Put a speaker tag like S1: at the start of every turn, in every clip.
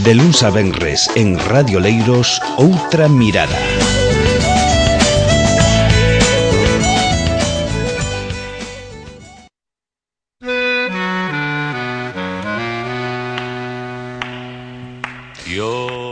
S1: De luns a venres en Radio Leiros, Outra Mirada.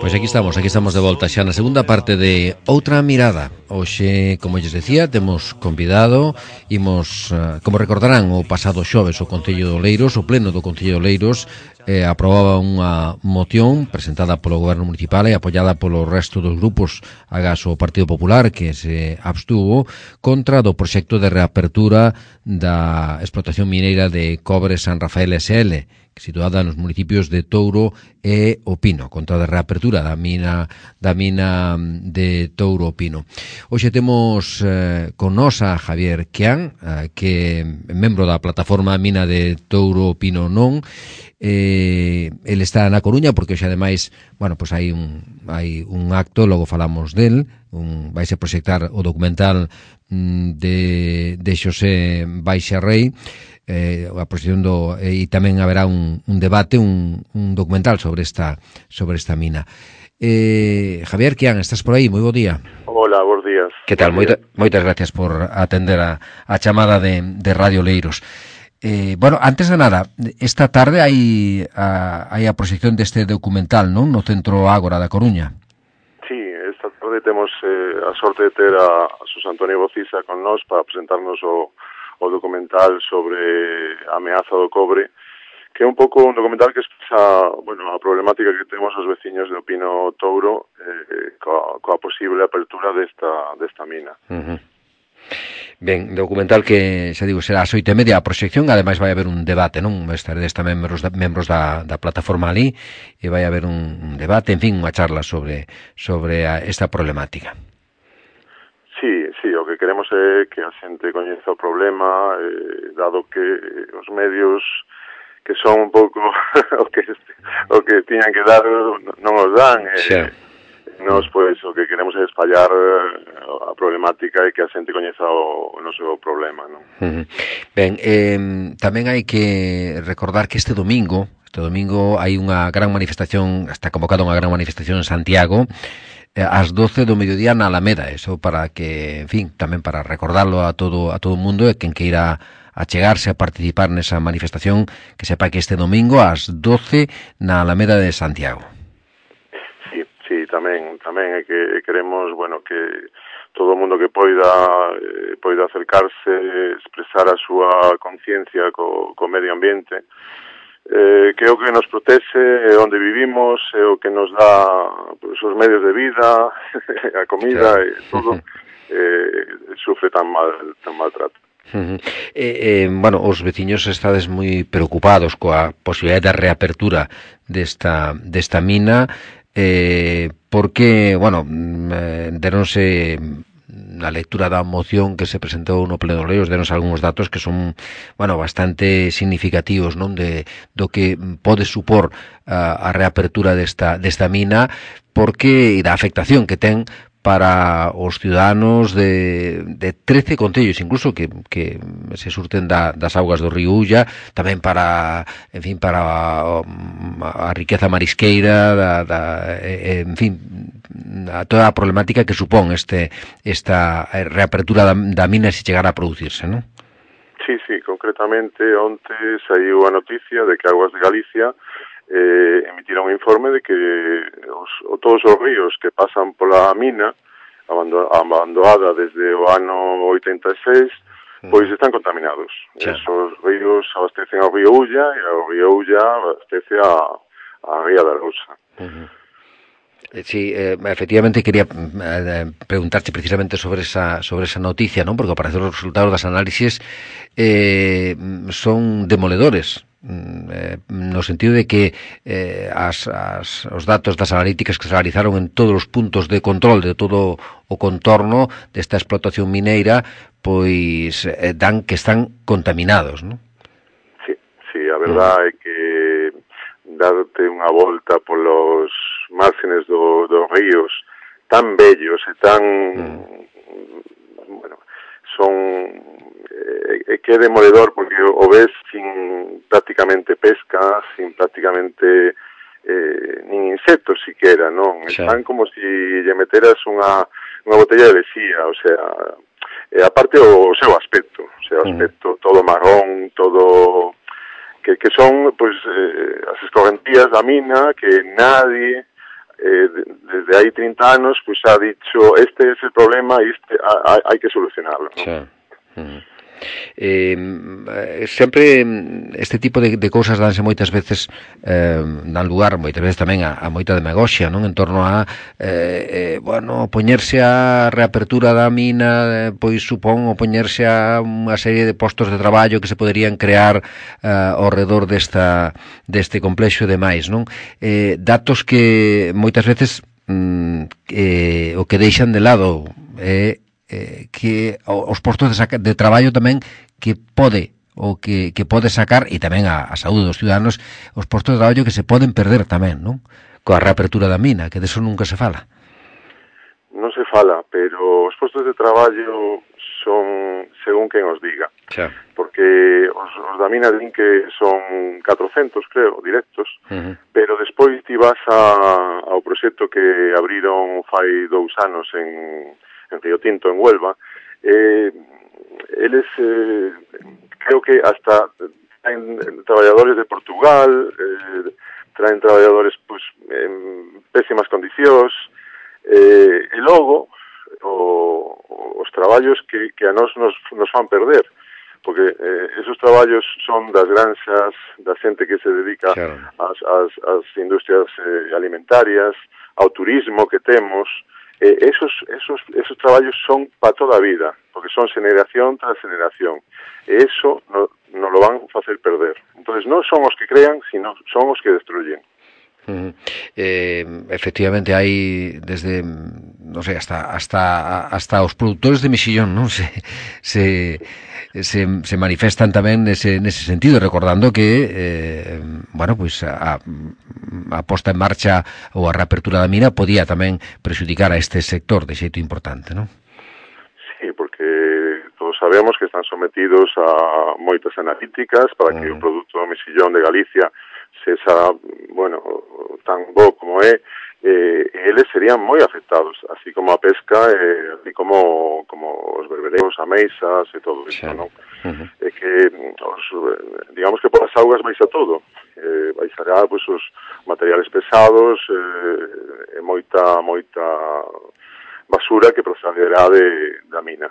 S2: Pois aquí estamos de volta xa na segunda parte de Outra Mirada. Hoxe, como lles decía, temos convidado, imos, como recordarán, o pasado xoves o Concello de Oleiros, o pleno do Concello de Oleiros, aprobaba unha moción presentada polo Goberno Municipal e apoiada polo resto dos grupos, agás o Partido Popular, que se abstuvo, contra do proxecto de reapertura da explotación mineira de cobre San Rafael SL, situada nos municipios de Touro e O Pino, contra a reapertura da mina de Touro o Pino. Hoxe temos con nos a Javier Quián, que é membro da plataforma Mina de Touro o Pino Non. Ele está na Coruña porque hoxe ademais, bueno, pues hai un acto, logo falamos del, vaise proxectar o documental de Xosé Baixa Rei, a proxección e tamén haberá un debate, un documental sobre esta mina. Javier Quián, estás por aí? Moi bo día.
S3: Hola, bons días.
S2: Que tal? Moitas gracias por atender a chamada de Radio Leiros. Bueno, antes de nada, esta tarde hai a proxección deste documental, non? No Centro Ágora da Coruña.
S3: Sí, esta tarde temos a sorte de ter a Susana Antonio Bociza con nós para presentarnos o documental sobre a ameaza do cobre, que é un pouco un documental que expresa, bueno, a problemática que temos os veciños de O Pino Touro coa posible apertura desta mina.
S2: Ben, documental que, xa digo, será ás 8:30 a proxección, ademais vai haber un debate, non? Estaredes tamén membros da plataforma ali e vai haber un debate, en fin, unha charla sobre esta problemática.
S3: Sí, o que queremos é que a xente coñeza o problema, dado que os medios que son un pouco o que tiñan que dar non os dan. Nos, pois, o que queremos é espallar a problemática e que a xente coñeza o noso problema, non?
S2: Ben, tamén hai que recordar que este domingo hai unha gran manifestación, está convocada unha gran manifestación en Santiago, ás 12 do mediodía na Alameda, eso para que, en fin, tamén para recordarlo a todo o mundo e quen queira achegarse a participar nesa manifestación, que sepa que este domingo ás 12 na Alameda de Santiago.
S3: Sí, tamén é que queremos, bueno, que todo o mundo que poida acercarse, expresar a súa conciencia co medio ambiente, que é o que nos protege, é onde vivimos, é o que nos dá pues, os medios de vida, a comida, e todo, sufre tan maltrato.
S2: Bueno, os veciños estades moi preocupados coa posibilidade de reapertura desta mina, porque, bueno, deronse na lectura da moción que se presentou no Pleno de Oleiros, denos algúns datos que son, bueno, bastante significativos, non, do que pode supor a reapertura desta mina, porque da afectación que ten para os ciudadanos de 13 concellos, incluso que se surten das augas do río Ulla, tamén para, en fin, para a riqueza marisqueira, en fin, a toda a problemática que supón esta reapertura da mina se chegara a producirse, non?
S3: Sí, concretamente onte saiu a noticia de que Aguas de Galicia emitiron un informe de que todos os ríos que pasan pola mina abandonada desde o ano 86 pois están contaminados. Esos ríos abastecen ao río Ulla e o río Ulla abastece a Ría da Rousa.
S2: Sí, efectivamente quería preguntarte precisamente sobre esa noticia, non? Porque ao parecer os resultados das análisis son demoledores, no sentido de que os datos das analíticas que se realizaron en todos os puntos de control de todo o contorno desta explotación mineira, pois dan que están contaminados, non?
S3: Sí, a verdade é que darte unha volta polos márgenes dos ríos tan bellos e tan bueno, son que é demoledor porque o ves sin prácticamente pesca, sin prácticamente nin insectos siquera, non? Están como si lle meteras unha botella de lexía, o sea, aparte o seu aspecto, todo marrón, todo que son pois as escorrentías da mina que nadie desde hai 30 anos pois ha dicho este es el problema e hai que solucionarlo, non?
S2: Sempre este tipo de cousas danse moitas veces dan lugar moitas veces tamén a moita demagoxia, non? En torno a poñerse a reapertura da mina pois supón o poñerse a unha serie de postos de traballo que se poderían crear ao redor deste complexo e demais, non? Datos que moitas veces o que deixan de lado que os postos de traballo tamén que pode sacar e tamén a saúde dos ciudadanos, os postos de traballo que se poden perder tamén, non? Coa reapertura da mina, que deso nunca se fala.
S3: Non se fala, pero os postos de traballo son según quen os diga. Porque os da mina din que son 400, creo, directos, pero despois ti vas ao proxecto que abriron fai 2 anos en Río Tinto, en Huelva, eles creo que hasta traen traballadores de Portugal, traen traballadores pues, en pésimas condicións, e logo os traballos que a nos fan perder, porque esos traballos son das granxas, da xente que se dedica ás industrias alimentarias, ao turismo que temos. Esos traballos son para toda a vida, porque son generación tras generación, e eso no lo van a facer perder. Entonces non son os que crean, sino son os que destruyen.
S2: Efectivamente hai desde non sei hasta os produtores de mexillón, non se manifestan tamén nese sentido, recordando que pois a posta en marcha ou a reapertura da mina podía tamén prexudicar a este sector de xeito importante, non?
S3: Sí, porque todos sabemos que están sometidos a moitas analíticas para que o produto do mexillón de Galicia sexa, tan bo como é, eles serían moi afectados, así como a pesca, así como os berbereiros, ameixas e todo isto, non? É que, digamos que polas augas baixa todo, baixará pues, os materiales pesados e moita basura que procederá da mina.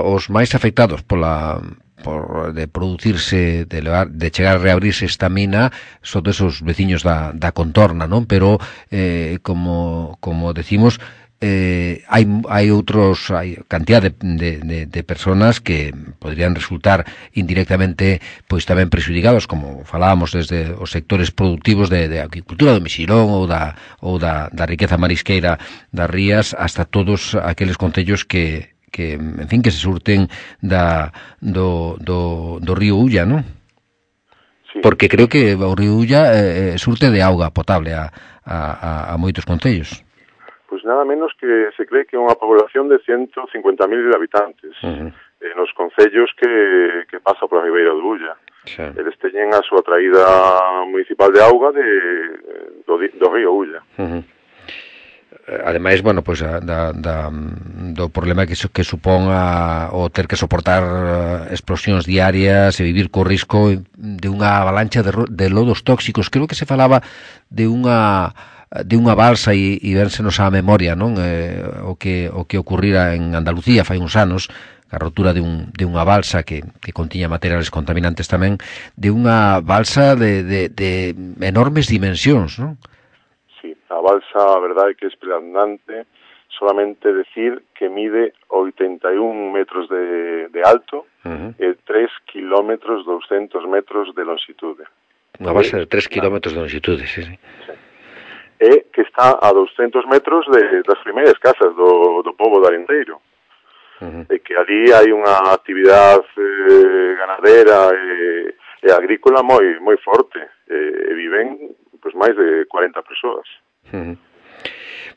S2: Os máis afectados de producirse, de chegar a reabrirse esta mina son esos veciños da contorna, non? Pero como decimos, hai cantidad de personas que podrían resultar indirectamente pois tamén prexudicados, como falábamos desde os sectores productivos de agricultura do mexilón ou da riqueza marisqueira das rías, hasta todos aqueles concellos que en fin, que se surten do río Ulla, non? Sí. Porque creo que o río Ulla surte de auga potable a moitos concellos.
S3: Pois nada menos que se cree que é unha población de 150.000 habitantes nos concellos que pasa pola ribeira do Ulla. Eles teñen a súa traída municipal de auga do río Ulla.
S2: Ademais, pois do problema que supón o ter que soportar explosións diarias e vivir co risco de unha avalancha de lodos tóxicos. Creo que se falaba de unha balsa e vénsenos á memoria, non? O que ocurrira en Andalucía fai uns anos, a rotura de unha balsa que contiña materiales contaminantes tamén, de unha balsa de enormes dimensións, non?
S3: A balsa, a verdade que é espeluznante, solamente decir que mide 81 metros de alto e 3 kilómetros 200 metros de longitude.
S2: Unha balsa de 3 kilómetros de longitude, sí.
S3: E que está a 200 metros das primeiras casas do pobo de Arenteiro. E que ali hai unha actividade ganadera e agrícola moi forte, e viven pois máis de 40 persoas.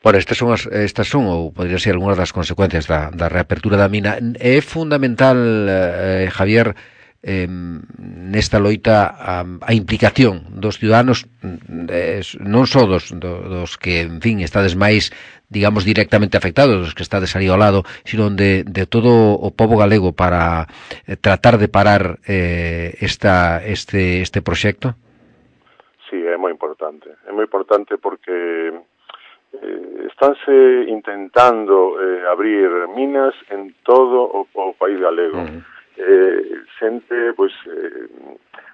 S2: Estas son ou podrían ser algunhas das consecuencias da reapertura da mina. É fundamental, Javier, nesta loita a implicación dos ciudadanos, non só dos que, en fin, estades máis, digamos, directamente afectados, dos que estades ali ao lado, sino de todo o pobo galego para tratar de parar este proxecto? Sí,
S3: é moi importante porque estánse intentando abrir minas en todo o país galego. Xente, pois,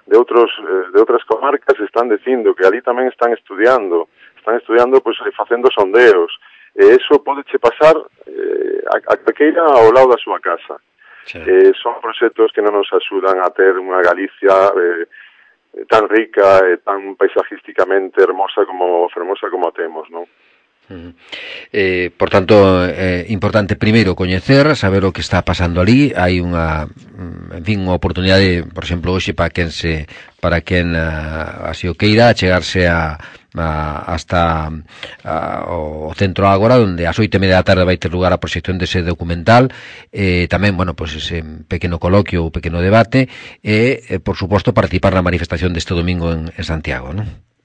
S3: de outras comarcas están dicindo que ali tamén están estudiando, pois, facendo sondeos, e eso podeche pasar a calqueira ao lado da súa casa. Son proxectos que non nos axudan a ter unha Galicia tan rica e tan paisajísticamente fermosa como a temos, non?
S2: Por tanto, importante primeiro coñecer, saber o que está pasando ali. Hai unha, en fin, unha oportunidade, por exemplo, hoxe para quen así o queira chegarse hasta o Centro Ágora, onde ás 8:30 da tarde vai ter lugar a proxección dese documental, tamén, bueno, pues ese pequeno coloquio ou pequeno debate e, por suposto, participar na manifestación deste domingo en Santiago, non?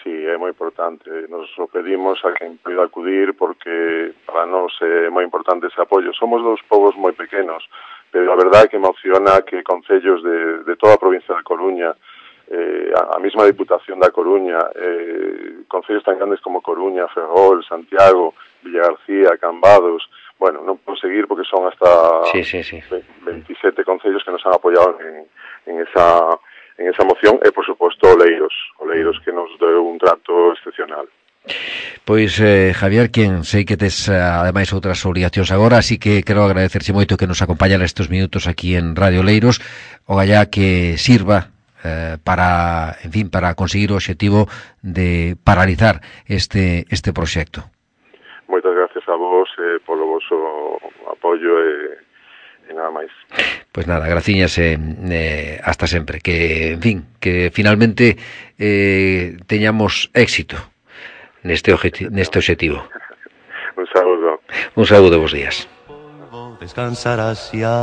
S3: Sí, é moi importante. Nos o pedimos a quen poida acudir porque para nós é moi importante ese apoio. Somos dos povos moi pequenos, pero a verdade é que emociona que concellos de toda a provincia da Coruña, a mesma Diputación da Coruña, concellos tan grandes como Coruña, Ferrol, Santiago, Villagarcía, Cambados, bueno, non podo seguir porque son hasta 27 concellos que nos han apoiado en esa moción e, por suposto, Oleiros que nos deu un trato excepcional.
S2: Pois, Javier, quen sei que tes ademais outras obrigacións agora, así que quero agradecerche moito que nos acompañara estes minutos aquí en Radio Oleiros, o gallá que sirva para, en fin, para conseguir o obxectivo de paralizar este proxecto.
S3: Moitas gracias a vos polo voso apoio e nada máis.
S2: Pois nada, graciñas hasta sempre. Que, en fin, que finalmente teñamos éxito neste obxectivo.
S3: Un saúdo.
S2: Un saúdo, bons días.
S4: Descansarás ya.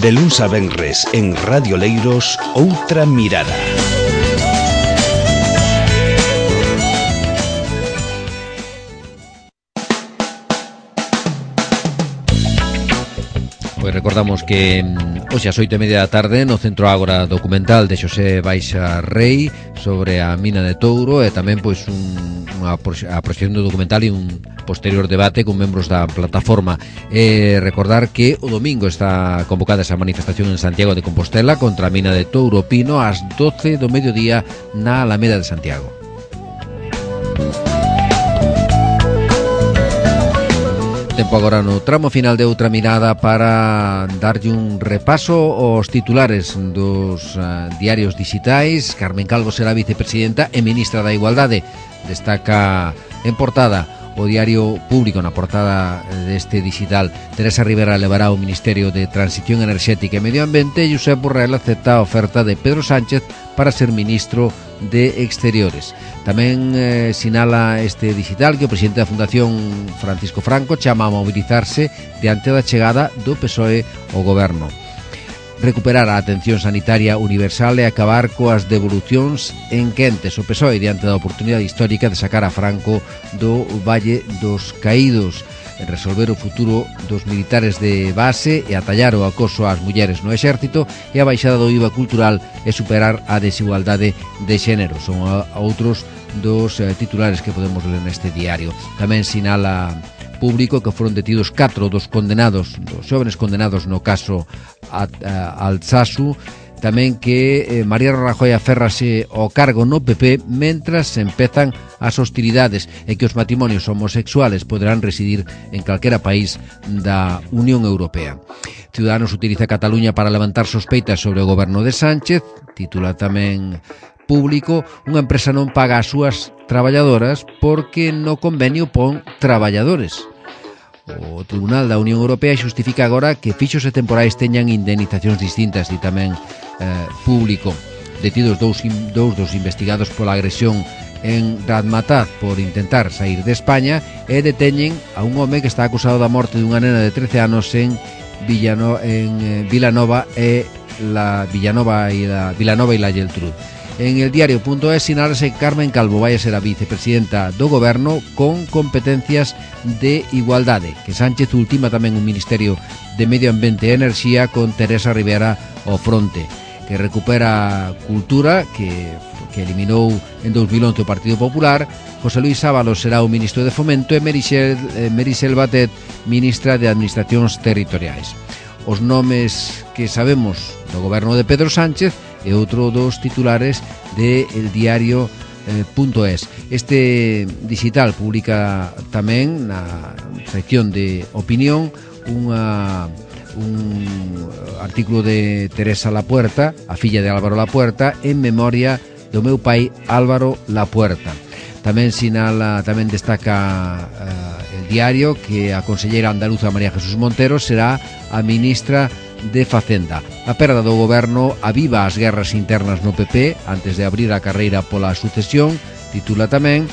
S1: De luns a venres en Radio Leiros, Outra Mirada.
S2: Pois recordamos que hoxe ás 8:30 da tarde no Centro Ágora documental de Xosé Baixa Rei sobre a mina de Touro e tamén pois a proxección do documental e un posterior debate con membros da plataforma. Recordar que o domingo está convocada esa manifestación en Santiago de Compostela contra a mina de Touro Pino ás 12 do mediodía na Alameda de Santiago. Tempo agora no tramo final de Outra Mirada para darlle un repaso aos titulares dos diarios digitais. Carmen Calvo será vicepresidenta e ministra da Igualdade. Destaca en portada o Diario Público, na portada deste digital. Teresa Rivera levará ao Ministerio de Transición Enerxética e Medio Ambiente e Josep Borrell acepta a oferta de Pedro Sánchez para ser ministro de Exteriores. Tamén sinala este digital que o presidente da Fundación, Francisco Franco, chama a mobilizarse diante da chegada do PSOE ao goberno. Recuperar a atención sanitaria universal e acabar coas devolucións en quentes. O PSOE diante da oportunidade histórica de sacar a Franco do Valle dos Caídos, resolver o futuro dos militares de base e atallar o acoso ás mulleres no exército e a baixada do IVA cultural e superar a desigualdade de xénero. Son outros dos titulares que podemos ler neste diario. Tamén sinala Público que foron detidos 4 dos xóvenes condenados no caso Altsasu. Tamén que María Rajoy aférrase ao cargo no PP mentras empezan as hostilidades e que os matrimonios homosexuales poderán residir en calquera país da Unión Europea. Ciudadanos utiliza Cataluña para levantar sospeitas sobre o goberno de Sánchez. Titula tamén Público, unha empresa non paga as súas traballadoras porque no convenio pon traballadores. O Tribunal da Unión Europea xustifica agora que fixos e temporais teñan indemnizacións distintas. E tamén Público, detidos dous dos investigados pola agresión en Razmataz por intentar sair de España e deteñen a un home que está acusado da morte dunha nena de 13 anos en Vilanova e la Geltrú. En el diario.es sinálase que Carmen Calvo vai a ser a vicepresidenta do goberno con competencias de igualdade, que Sánchez ultima tamén un Ministerio de Medio Ambiente e Enerxía con Teresa Rivera ao fronte, que recupera Cultura, que eliminou en 2011 o Partido Popular. José Luis Ábalos será o ministro de Fomento e Merisel Batet, ministra de Administracións Territoriais. Os nomes que sabemos do goberno de Pedro Sánchez e outro dos titulares de El Diario.es. Este digital publica tamén na sección de opinión un artículo de Teresa Lapuerta, a filla de Álvaro Lapuerta, en memoria do meu pai Álvaro Lapuerta. Tamén destaca El Diario que a conselleira andaluza María Jesús Montero será a ministra de Facenda. A perda do goberno aviva as guerras internas no PP antes de abrir a carreira pola sucesión, titula tamén,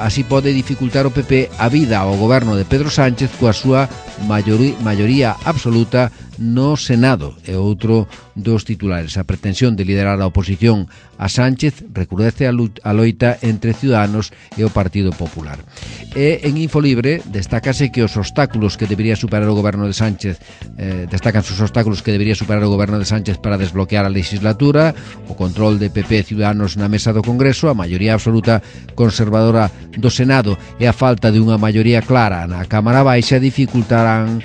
S2: así pode dificultar o PP a vida ao goberno de Pedro Sánchez coa súa maioría absoluta no Senado. É outro dos titulares. A pretensión de liderar a oposición a Sánchez recrudece a loita entre Ciudadanos e o Partido Popular. E en Infolibre destácanse os obstáculos que debería superar o goberno de Sánchez para desbloquear a legislatura, o control de PP e Ciudadanos na mesa do Congreso, a maioría absoluta conservadora do Senado e a falta de unha maioría clara na Cámara Baixa dificultan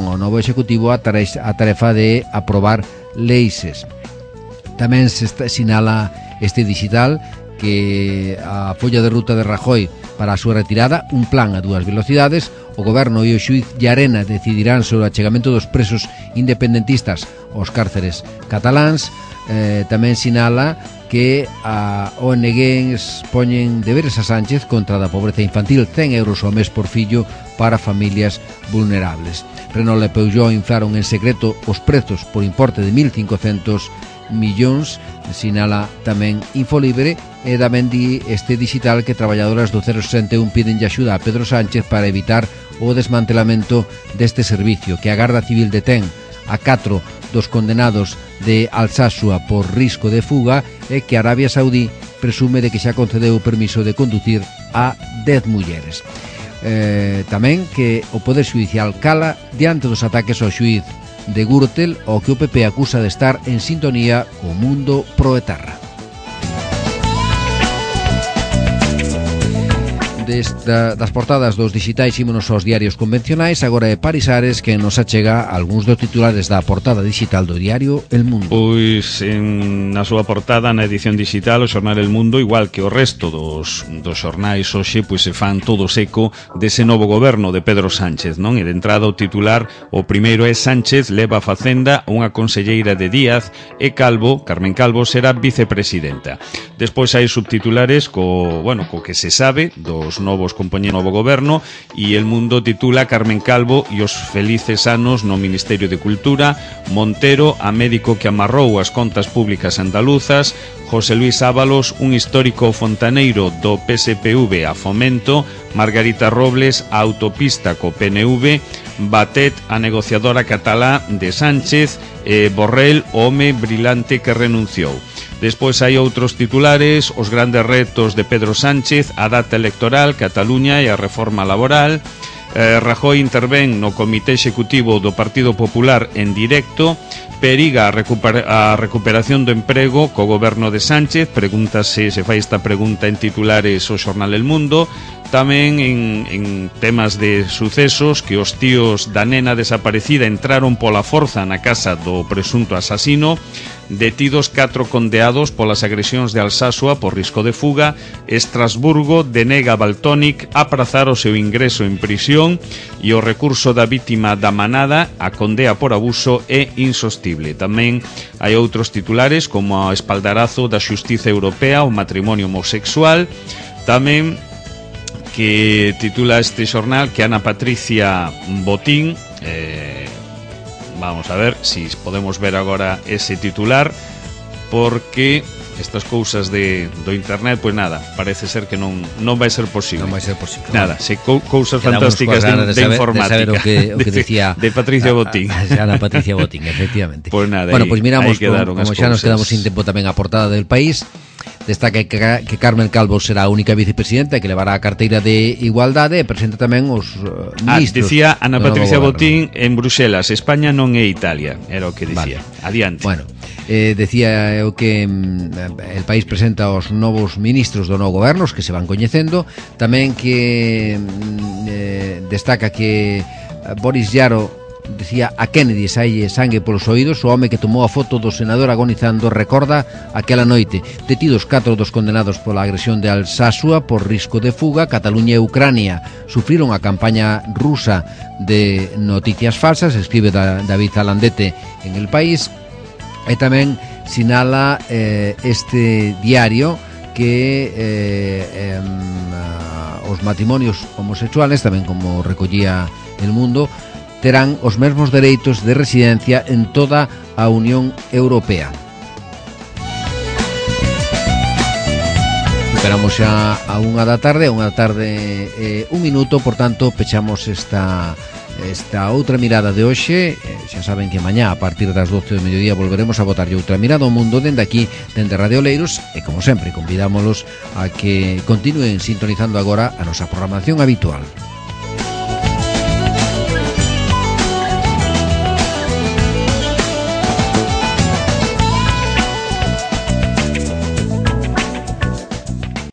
S2: ao novo Executivo a tarefa de aprobar leis. Tamén se sinala este digital que a folla de ruta de Rajoy para a súa retirada, un plan a dúas velocidades. O goberno e o xuíz Llarena decidirán sobre o achegamento dos presos independentistas aos cárceres cataláns. Tamén sinala que a ONG poñen deberes a Sánchez contra da pobreza infantil, 100 euros ao mes por fillo para familias vulnerables. Renault e Peugeot inflaron en secreto os prezos por importe de 1.500 millóns, sinala tamén Infolibre. E tamén di este digital que traballadoras do 061 piden axuda a Pedro Sánchez para evitar o desmantelamento deste servicio, que a Garda Civil detén a 4 dos condenados de Alsasua por risco de fuga e que Arabia Saudí presume de que xa concedeu o permiso de conducir a 10 mulleres. Tamén que o Poder Xudicial cala diante dos ataques ao xuíz de Gürtel, o que o PP acusa de estar en sintonía co mundo proetarra. Das portadas dos digitais ímonos aos diarios convencionais. Agora é Parisares que nos achega algúns dos titulares da portada digital do diario El Mundo.
S5: Pois na súa portada, na edición digital, o xornal El Mundo, igual que o resto dos xornais hoxe, pois se fan todos eco dese novo goberno de Pedro Sánchez, non? E de entrada o titular, o primeiro é: Sánchez leva a Facenda unha conselleira de Díaz e Carmen Calvo será vicepresidenta. Despois hai subtitulares co que se sabe dos novos compoñentes do novo goberno, e El Mundo titula: Carmen Calvo e os felices anos no Ministerio de Cultura, Montero, a médico que amarrou as contas públicas andaluzas, José Luis Ábalos, un histórico fontaneiro do PSPV a Fomento, Margarita Robles, a autopista co PNV, Batet, a negociadora catalá de Sánchez, e Borrell, o home brilante que renunciou. Despois hai outros titulares: os grandes retos de Pedro Sánchez, a data electoral, Cataluña e a reforma laboral. Rajoy intervén no Comité Executivo do Partido Popular en directo. Periga a recuperación do emprego co goberno de Sánchez. Pregúntase, se fai esta pregunta en titulares o xornal El Mundo. Tamén en temas de sucesos, que os tíos da nena desaparecida entraron pola forza na casa do presunto asasino. Detidos 4 condeados polas agresións de Alsasua por risco de fuga. Estrasburgo denega a Valtónic aprazar o seu ingreso en prisión, e o recurso da vítima da manada, a condea por abuso, é insostible. Tamén hai outros titulares como o espaldarazo da Xustiza Europea ao matrimonio homosexual. Tamén que titula este xornal que Ana Patricia Botín, vamos a ver si podemos ver agora ese titular, porque estas cousas do internet, pois nada, parece ser que non vai ser posible.
S2: Non vai ser posible.
S5: Nada, se cousas fantásticas de informática.
S2: De saber o que decía
S5: de Patricia Botín.
S2: Ana Patricia Botín, efectivamente.
S5: Pois nada,
S2: bueno, pois miramos como xa nos
S5: cousas.
S2: quedamos sin tempo tamén a portada del País. Destaca que Carmen Calvo será a única vicepresidenta que levará a carteira de Igualdade e presenta tamén os ministros.
S5: Decía Ana Patricia Botín en Bruxelas, España non é Italia, era o que decía. Vale. Adiante.
S2: Bueno, decía eu que el País presenta os novos ministros do novo goberno, os que se van coñecendo, tamén que destaca que Boris Llaro decía a Kennedy saille sangue polos oídos. O home que tomou a foto do senador agonizando recorda aquela noite. Detidos 4 dos condenados pola agresión de Alsasua por risco de fuga. Cataluña e Ucrania sufriron a campaña rusa de noticias falsas, escribe David Alandete en El País. E tamén sinala este diario que os matrimonios homosexuales, tamén como recollía El Mundo, terán os mesmos dereitos de residencia en toda a Unión Europea. Esperamos xa a 1 da tarde, un minuto, por tanto, pechamos esta outra mirada de hoxe. Xa saben que mañá a partir das 12 do mediodía volveremos a botarlle outra mirada ao mundo dende aquí, dende Radio Oleiros, e como sempre convidámolos a que continúen sintonizando agora a nosa programación habitual.